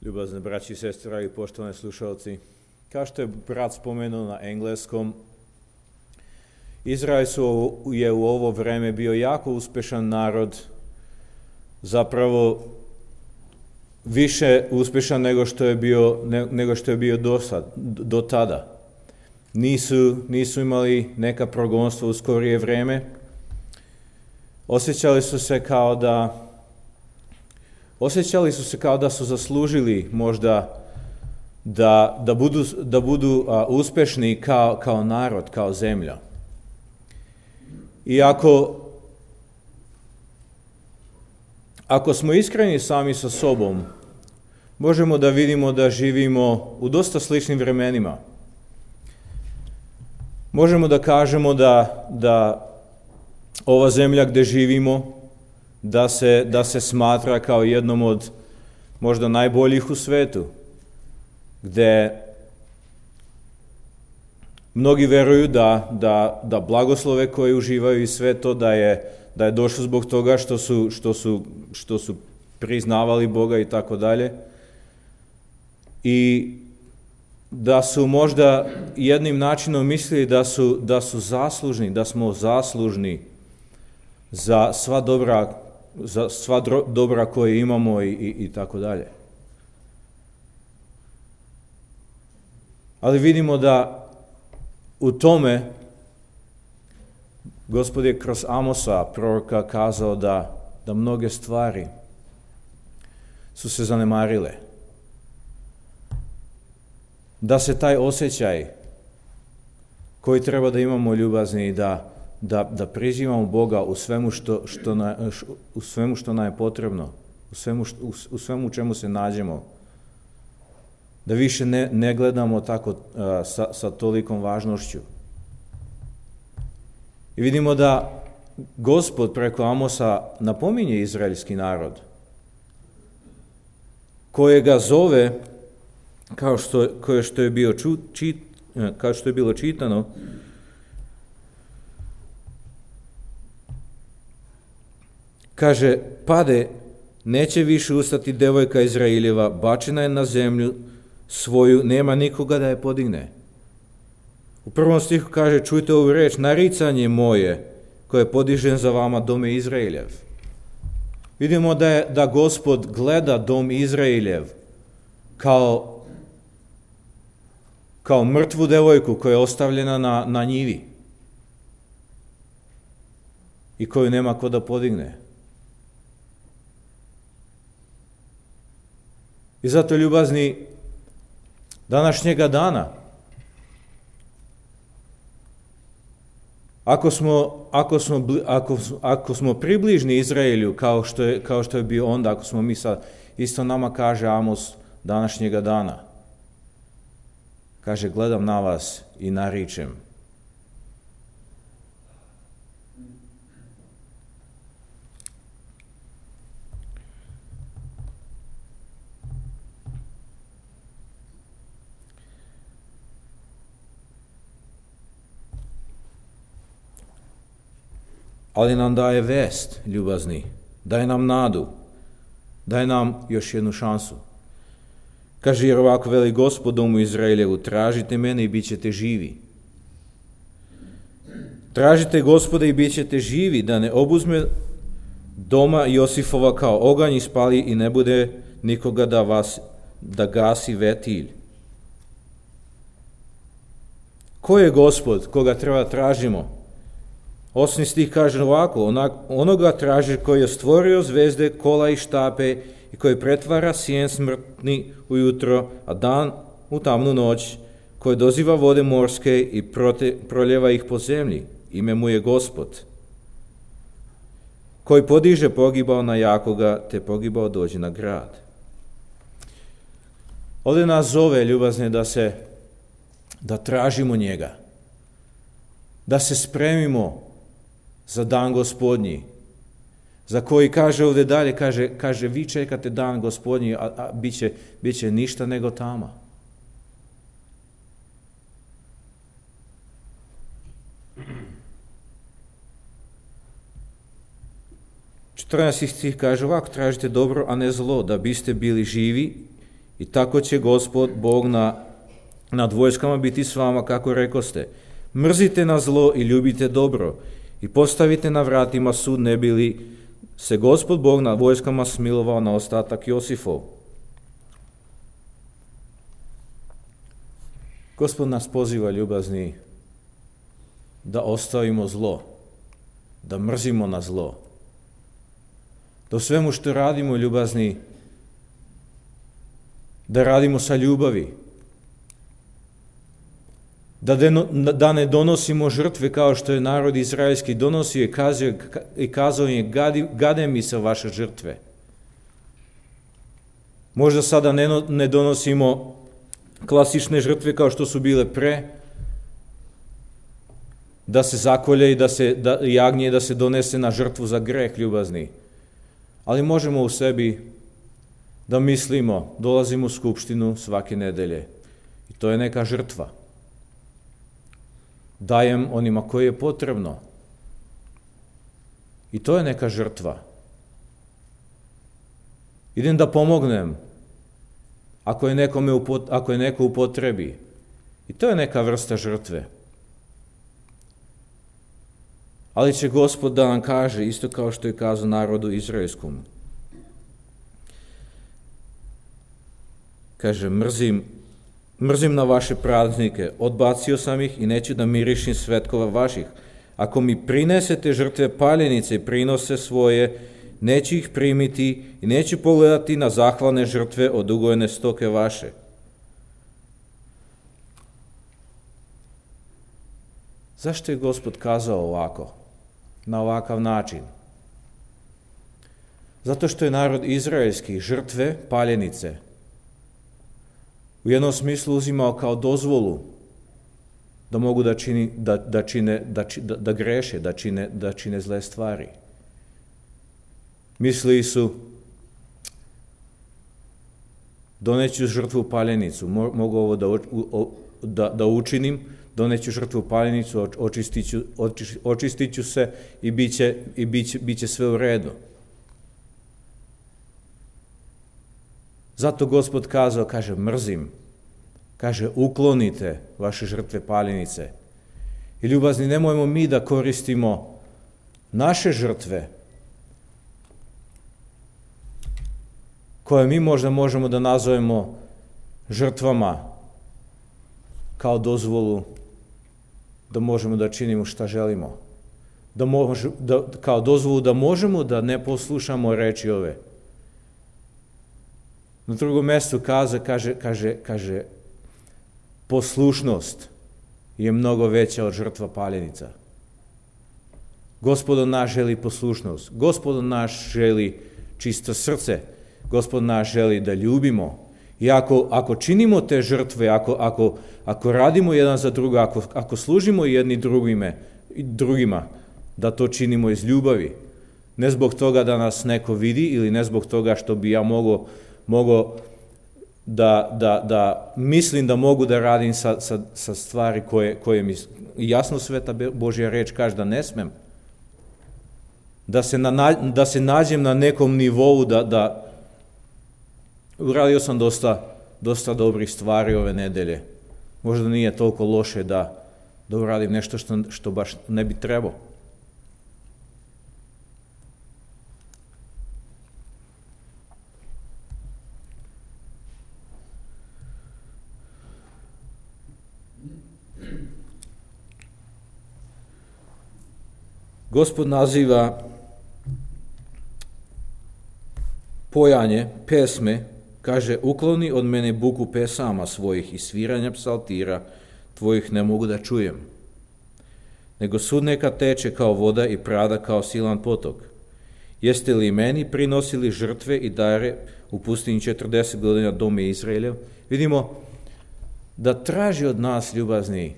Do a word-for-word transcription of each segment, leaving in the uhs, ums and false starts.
Ljubazne braći i sestre i poštovani slušalci, kao što je brat spomenuo na engleskom, Izrael su, je u ovo vreme bio jako uspešan narod, zapravo više uspešan nego što je bio, ne, nego što je bio do, sad, do tada. Nisu, nisu imali neka progonstva u skorije vreme. Osjećali su se kao da Osjećali su se kao da su zaslužili možda da, da budu, da budu a, uspešni kao, kao narod, kao zemlja. I ako, ako smo iskreni sami sa sobom, možemo da vidimo da živimo u dosta sličnim vremenima. Možemo da kažemo da, da ova zemlja gde živimo, da se, da se smatra kao jednom od možda najboljih u svetu, gde mnogi veruju da, da, da blagoslove koje uživaju i sve to da je, da je došlo zbog toga što su, što su, što su priznavali Boga i tako dalje. I da su možda jednim načinom mislili da su, da su zaslužni, da smo zaslužni za sva dobra za sva dobra koje imamo i, i, i tako dalje. Ali vidimo da u tome Gospod je kroz Amosa, proroka, kazao da, da mnoge stvari su se zanemarile. Da se taj osjećaj koji treba da imamo ljubazni, da Da, da prizivamo Boga u svemu što, što, na, u svemu što nam je potrebno, u svemu, što, u, u svemu čemu se nađemo. Da više ne, ne gledamo tako uh, sa, sa tolikom važnošću. I vidimo da Gospod preko Amosa napominje izraelski narod, kojega zove, kao što, koje što je bio ču, čit, kao što je bilo čitano, kaže, pade, neće više ustati devojka Izraeljeva, bačena je na zemlju svoju, nema nikoga da je podigne. U prvom stihu kaže, čujte ovu reč, naricanje moje, koje je podižen za vama, dome Izraeljev. Vidimo da, je, da Gospod gleda dom Izraeljev kao, kao mrtvu devojku koja je ostavljena na, na njivi i koju nema ko da podigne. I zato, ljubazni, današnjega dana, ako smo, ako smo, ako, ako smo približni Izraelju, kao što, je, kao što je bio onda, ako smo mi sad, isto nama kaže Amos današnjega dana, kaže, gledam na vas i naričem. Ali nam daje vest, ljubazni, daje nam nadu, daje nam još jednu šansu. Kaže, jer ovako veli Gospod domu Izraeljevu, tražite mene i bit ćete živi. Tražite Gospoda i bit ćete živi, da ne obuzme doma Josifova kao oganj i spali i ne bude nikoga da vas, da gasi vetilj. Ko je Gospod koga treba tražimo? Osmi stih kaže ovako, onak, onoga traži koji je stvorio zvezde, kola i štape i koji pretvara sjen smrtni ujutro, a dan u tamnu noć, koji doziva vode morske i prote, proljeva ih po zemlji. Ime mu je Gospod, koji podiže pogibao na jakoga, te pogibao dođe na grad. Ovdje nas zove, ljubazne, da se, da tražimo njega, da se spremimo za dan Gospodnji, za koji kaže ovdje dalje, kaže, kaže vi čekate dan Gospodnji, a, a bit će, bit će ništa nego tama. četrnaesti stih kaže ovako, tražite dobro, a ne zlo, da biste bili živi I tako će Gospod, Bog na, nad vojskama biti s vama, kako rekoste. Mrzite na zlo i ljubite dobro i postavite na vratima sud, ne bi li se Gospod Bog nad vojskama smilovao na ostatak Josifov. Gospod nas poziva, ljubazni, da ostavimo zlo, da mrzimo na zlo. Da u svemu što radimo, ljubazni, da radimo sa ljubavi. Da, deno, da ne donosimo žrtve kao što je narod izraelski donosio i kazao, i kazao je, gadi, gade mi se vaše žrtve. Možda sada ne, ne donosimo klasične žrtve kao što su bile pre, da se zakolje i da se da, jagnje da se donese na žrtvu za greh, ljubazni. Ali možemo u sebi da mislimo, dolazimo u skupštinu svake nedelje i to je neka žrtva. Dajem onima koji je potrebno. I to je neka žrtva. Idem da pomognem ako je, nekome upot, ako je neko u potrebi. I to je neka vrsta žrtve. Ali će Gospod da nam kaže, isto kao što je kazao narodu izraelskom. Kaže, mrzim, mrzim na vaše praznike, odbacio sam ih i neću da mirišim svetkova vaših. Ako mi prinesete žrtve paljenice i prinose svoje, neću ih primiti i neću pogledati na zahvalne žrtve od ugojene stoke vaše. Zašto je Gospod kazao ovako, na ovakav način? Zato što je narod izraelski žrtve, paljenice, u jednom smislu uzimao kao dozvolu da mogu da, čini, da, da, čine, da, da, da greše, da čine, da čine zle stvari. Mislili su, doneću žrtvu paljenicu, mogu ovo da, da, da učinim, doneću žrtvu paljenicu, očistiću, očistiću se i bit će, i bit će, bit će sve u redu. Zato Gospod kazao, kaže, mrzim, kaže, uklonite vaše žrtve paljenice. I ljubazni, nemojmo mi da koristimo naše žrtve, koje mi možda možemo da nazovemo žrtvama, kao dozvolu da možemo da činimo šta želimo. Da može, da, kao dozvolu da možemo da ne poslušamo reči ove. Na drugom mjestu kaže, kaže, kaže, kaže, poslušnost je mnogo veća od žrtva paljenica. Gospod naš želi poslušnost. Gospod naš želi čisto srce. Gospod naš želi da ljubimo. I ako, ako činimo te žrtve, ako, ako, ako radimo jedan za druga, ako, ako služimo jedni drugime, drugima, da to činimo iz ljubavi. Ne zbog toga da nas neko vidi ili ne zbog toga što bi ja mogao mogo da, da, da mislim da mogu da radim sa, sa, sa stvari koje, koje mi jasno Sveta Božja reč kaže da ne smem. Da se, na, da se nađem na nekom nivou da, da uradio sam dosta, dosta dobrih stvari ove nedelje. Možda nije toliko loše da, da uradim nešto što, što baš ne bi trebao. Gospod naziva pojanje, pesme, kaže, ukloni od mene buku pesama svojih i sviranja psaltira tvojih ne mogu da čujem. Nego sud neka teče kao voda i prada kao silan potok. Jeste li meni prinosili žrtve i dare u pustinji četrdeset godina dome Izraeljev? Vidimo da traži od nas, ljubazni,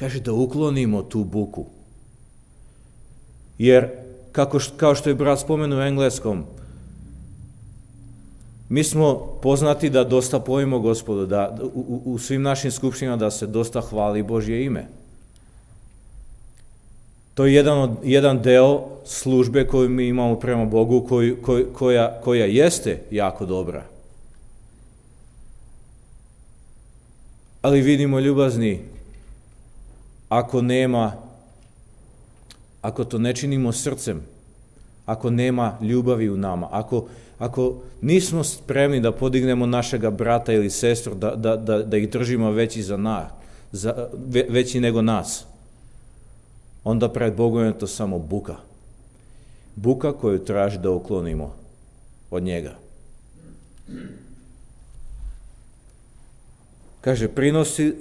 kaže da uklonimo tu buku. Jer, kako, kao što je brat spomenuo u engleskom, mi smo poznati da dosta pojmo Gospodu, da u, u svim našim skupštinama da se dosta hvali Božje ime. To je jedan, od, jedan deo službe koju mi imamo prema Bogu, koju, koj, koja, koja jeste jako dobra. Ali vidimo, ljubazni, ako nema, ako to ne činimo srcem, ako nema ljubavi u nama, ako, ako nismo spremni da podignemo našega brata ili sestru, da, da, da, da ih držimo veći, za nas, za, ve, veći nego nas, onda pred Bogom je to samo buka. Buka koju traži da uklonimo od njega. Kaže, prinosi,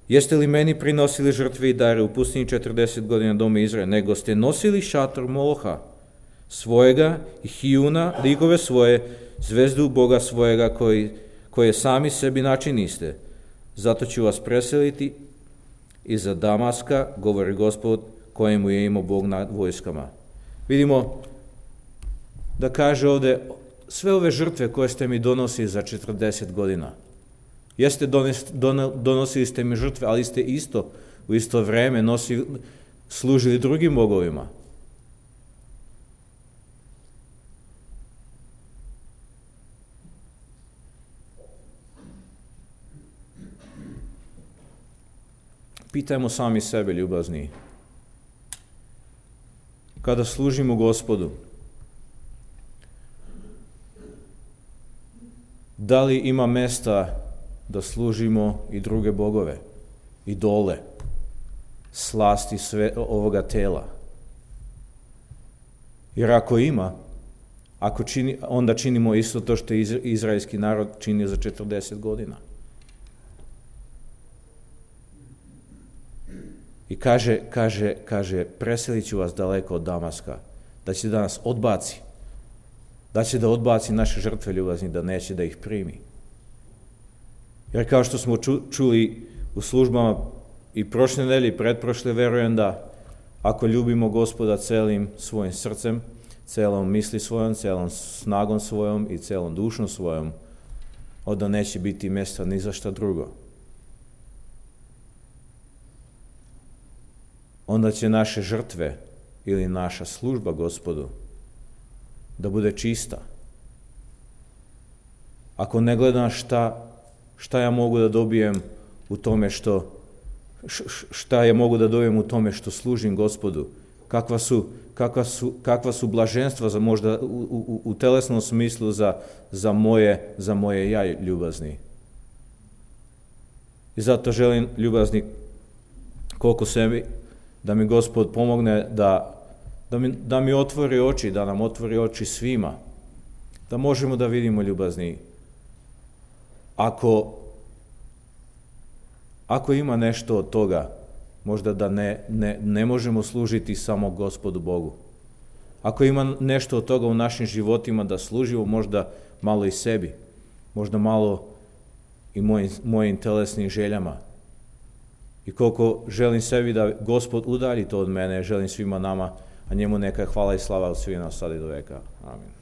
jeste li meni prinosili žrtve i dare u pustinji četrdeset godina doma Izraela, nego ste nosili šator Moloha svojega i Hijuna, likove svoje, zvezdu Boga svojega koji, koje sami sebi načiniste. Zato ću vas preseliti iza Damaska, govori Gospod, kojemu je imao Bog nad vojskama. Vidimo da kaže ovde, sve ove žrtve koje ste mi donosili za četrdeset godina, jeste dones, don, donosili ste mi žrtve, ali ste isto u isto vreme nosili, služili drugim bogovima. Pitajmo sami sebe, ljubazni, kada služimo Gospodu, da li ima mesta da služimo i druge bogove, idole, slasti sve ovoga tela? Jer ako ima, ako čini, onda činimo isto to što je izraelski narod činio za četrdeset godina. I kaže, kaže, kaže, preselit ću vas daleko od Damaska, da će da nas odbaci, da će da odbaci naše žrtve, ljubazni, da neće da ih primi. Jer kao što smo ču, čuli u službama i prošle nedelje i pretprošle, verujem da ako ljubimo Gospoda celim svojim srcem, celom misli svojom, celom snagom svojom i celom dušom svojom, onda neće biti mjesta ni za šta drugo. Onda će naše žrtve ili naša služba Gospodu da bude čista. Ako ne gledam šta, šta ja mogu da dobijem u tome što, šta ja mogu da dobijem u tome što služim Gospodu, kakva su, kakva su, kakva su blaženstva za možda u, u, u telesnom smislu za, za, moje, za moje ja, ljubazni. I zato želim, ljubazni, koliko sebi, da mi Gospod pomogne da, da, mi, da mi otvori oči, da nam otvori oči svima, da možemo da vidimo, ljubazni, ako, ako ima nešto od toga, možda da ne, ne, ne možemo služiti samo Gospodu Bogu. Ako ima nešto od toga u našim životima da služimo možda malo i sebi, možda malo i mojim, mojim telesnim željama. I koliko želim sebi da Gospod udalji to od mene, želim svima nama, a njemu neka hvala i slava od svih nas sad i do veka. Amin.